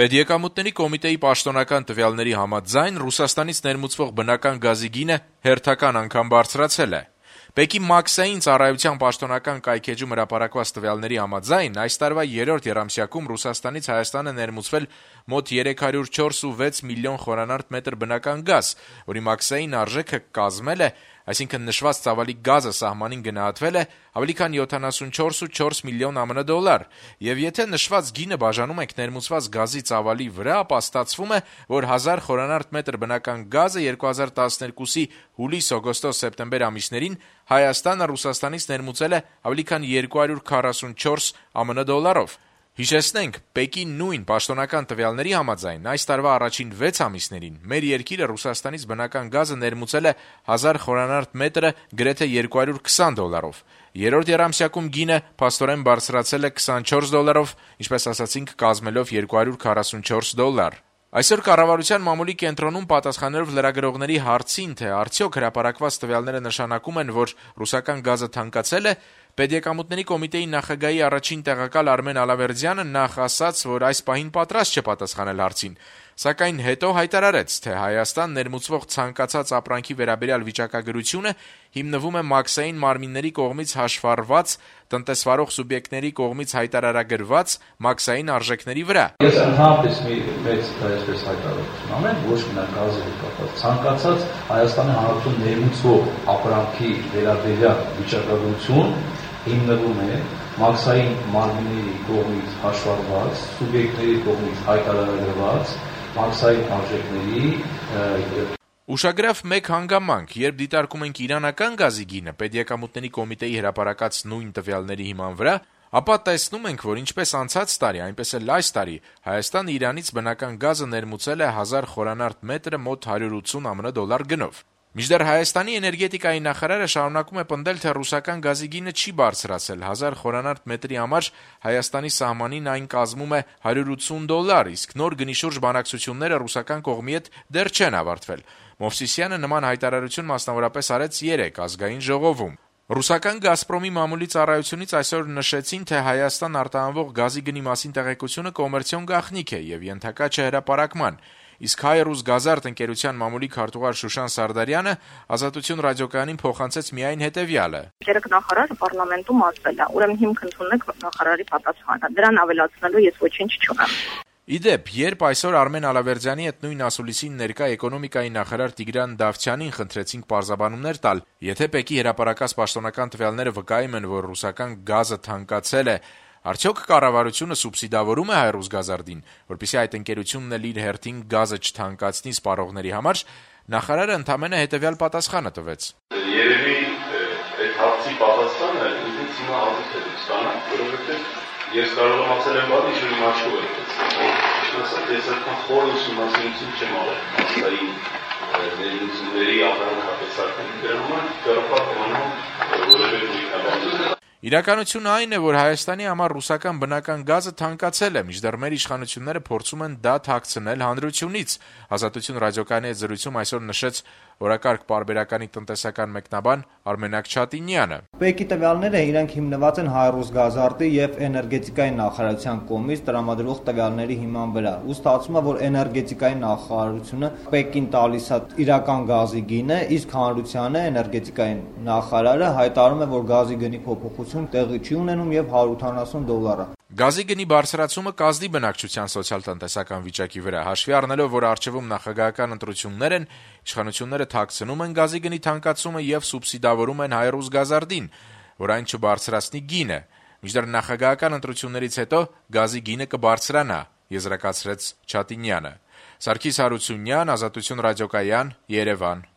Պետեկամուտների կոմիտեի պաշտոնական տվյալների համաձայն Ռուսաստանից ներմուծվող բնական գազի գինը հերթական անգամ բարձրացել է։ ՊԵԿ-ի մաքսային ծառայության պաշտոնական կայքէջում հրապարակված տվյալների համաձայն այս տարվա երրորդ եռամսյակում Ռուսաստանից Հայաստան է ներմուծվել մոտ 304.6 միլիոն խորանարդ մետր բնական գազ, որի մաքսային արժեքը կազմել է, այսինքն նշված ծավալի գազը սահմանին գնահատվել է ավելի քան 74.4 միլիոն ԱՄՆ դոլար, եւ եթե նշված գինը բաժանում ենք ներմուծված գազի ծավալի վրա, ապա ստացվում է, որ 1000 խորանարդ մետր բնական գազը 2012-ի հուլիս-օգոստոս-սեպտեմբեր ամիսներին Հայաստանը Ռուսաստանից ներմուծել է ավելի քան 244 ԱՄՆ դոլարով։ Հիշեցնենք, ՊԵԿ-ի նույն պաշտոնական տվյալների համաձայն այս տարվա առաջին 6 ամիսներին մեր երկիրը Ռուսաստանից բնական գազը ներմուծել է 1000 խորանարդ մետրը գրեթե 220 դոլարով։ Երրորդ եռամսյակում գինը փաստորեն բարձրացել է 24 դոլարով, ինչպես ասացինք, կազմելով 244 դոլար։ Այսօր կառավարության մամուլի կենտրոնում պատասխանելով լրագրողների հարցին, թե արդյոք հրապարակված տվյալները նշանակում են, որ ռուսական գազը թանկացել է, Պետեկամուտների կոմիտեի նախագահի առաջին տեղակալ Արմեն Ալավերդյանը նախ ասաց, որ այս պահին պատրաստ չէ պատասխանել հարցին, սակայն հետո հայտարարեց, թե Հայաստան ներմուծվող ցանկացած ապրանքի վերաբերյալ վիճակագրությունը հիմնվում է մաքսային մարմինների կողմից հաշվառված, տնտեսվարող սուբյեկտների կողմից հայտարարագրված մաքսային արժեքների վրա։ Ես ընդհանրապես մեծ այսպես հայտարարություն անեմ, ոչ միայն գազի հետ կապված, ցանկացած Հայաստանի Հանրապետություն ներմուծվող ապրանքի վերաբերյալ վիճակագրություն հիմնվում է մաքսային մարմինների կողմից հաշվառված, սուբյեկտների կողմից հայտարարագրված մաքսային արժեքների Ուշագրավ մեկ հանգամանք, երբ դիտարկում ենք իրանական գազի գինը Պետեկամուտների կոմիտեի հրապարակած նույն տվյալների հիման վրա, ապա տեսնում ենք, որ ինչպես անցած տարի, այնպես էլ այս տարի Հայաստանը Իրանից բնական գազը ներմուծել է 1000 խորանարդ մետրը մոտ 180 ԱՄՆ դոլար գնով։ Մինչդեռ Հայաստանի էներգետիկայի նախարարը շարունակում է պնդել, թե ռուսական գազի գինը չի բարձրացել, 1000 խորանարդ մետրի համար Հայաստանի սահմանին այն կազմում է 180 դոլար, իսկ նոր գնիշուրջ բանակցությունները ռուսական կողմի հետ դեռ չեն ավարտվել։ Մովսիսյանը նման հայտարարություն մասնավորապես արեց 3 ազգային ժողովում։ Ռուսական «Գազպրոմի» մամուլի ծառայությունից այսօր նշեցին, թե Հայաստան արտահանվող գազի գնի մասին տեղեկությունը կոմերցիոն գաղտնիք է եւ ենթակա չէ հրապարակման, իսկ «Հայ-Ռուս-Գազարդ» ընկերության մամուլի քարտուղար Շուշան Սարդարյանը «Ազատություն» ռադիոկայանին փոխանցեց միայն հետեւյալը. Նախարարը պարլամենտում ասել է, ուրեմն հիմք ընդունեք նախարարի պատասխանը, դրան ավելացնելու ես ոչինչ չունեմ։ Իդեպ, երբ այսօր Արմեն Ալավերդյանի հետ նույն ասուլիսին ներկա էկոնոմիկայի նախարար Տիգրան Դավթյանին խնդրեցինք պարզաբանումներ տալ, եթե ՊԵԿ-ի հրապարակած պաշտոնական տվյալները վկայում են, որ ռուսական գազը թանկացել է, արդյոք կառավարությունը սուբսիդավորում է «Հայ-Ռուս-Գազարդին», որպեսզի այդ ընկերությունն էլ իր հերթին գազը չթանկացնի սպառողների համար, նախարարը ընդամենը հետեւյալ պատասխանը տվեց. Երևի այդ հարցի պատասխանը ինձ հիմա հատուկ է ստանալ, որովհետեւ ես կարող եմ ասել եմ բան, ինչ-որ իմ աչքով է տեսել։ Ես այդքան խոր ուսումնասիրություն չեմ արել մասային ներդրումների ապրանքատեսակների դրանում, կարող եմ որևէ նույնաբան։ Իրականությունը այն է, որ Հայաստանի համար ռուսական բնական գազը թանկացել է, մինչդեռ մեր իշխանությունները փորձում են դա թաքցնել հանրությունից։ Ազատություն ռադիոկայանի հետ զրույցում այսօր նշեց օրակարգ պարբերականի տնտեսական մեկնաբան Արմենակ Չատինյանը։ ՊԵԿ-ի տվյալները իրենք հիմնված են «Հայ-Ռուս-Գազարդի» եւ էներգետիկայի նախարարության կողմից տրամադրվող տվյալների հիման վրա։ Ու ստացվում է, որ էներգետիկայի նախարարությունը ՊԵԿ-ին տալիս է իրական գազի գինը, իսկ հանրությանը էներգետիկայի նախարարը հայտարարում է, որ գազի գնի փոփոխություն տեղի չի ունենում եւ 180 դոլար է։ Գազի գնի բարձրացումը կազդի բնակչության սոցիալ-տնտեսական վիճակի վրա, հաշվի առնելով, որ առջևում նախագահական ընտրություններ են, իշխանությունները թաքցնում են գազի գնի թանկացումը եւ սուբսիդավորում են «Հայ-Ռուս-Գազարդին», որ այն չբարձրացնի գինը։ Մինչդեռ նախագահական ընտրություններից հետո գազի գինը կբարձրանա, եզրակացրեց Չատինյանը։ Սարգիս Հարությունյան, Ազատություն ռադիոկայան, Երևան։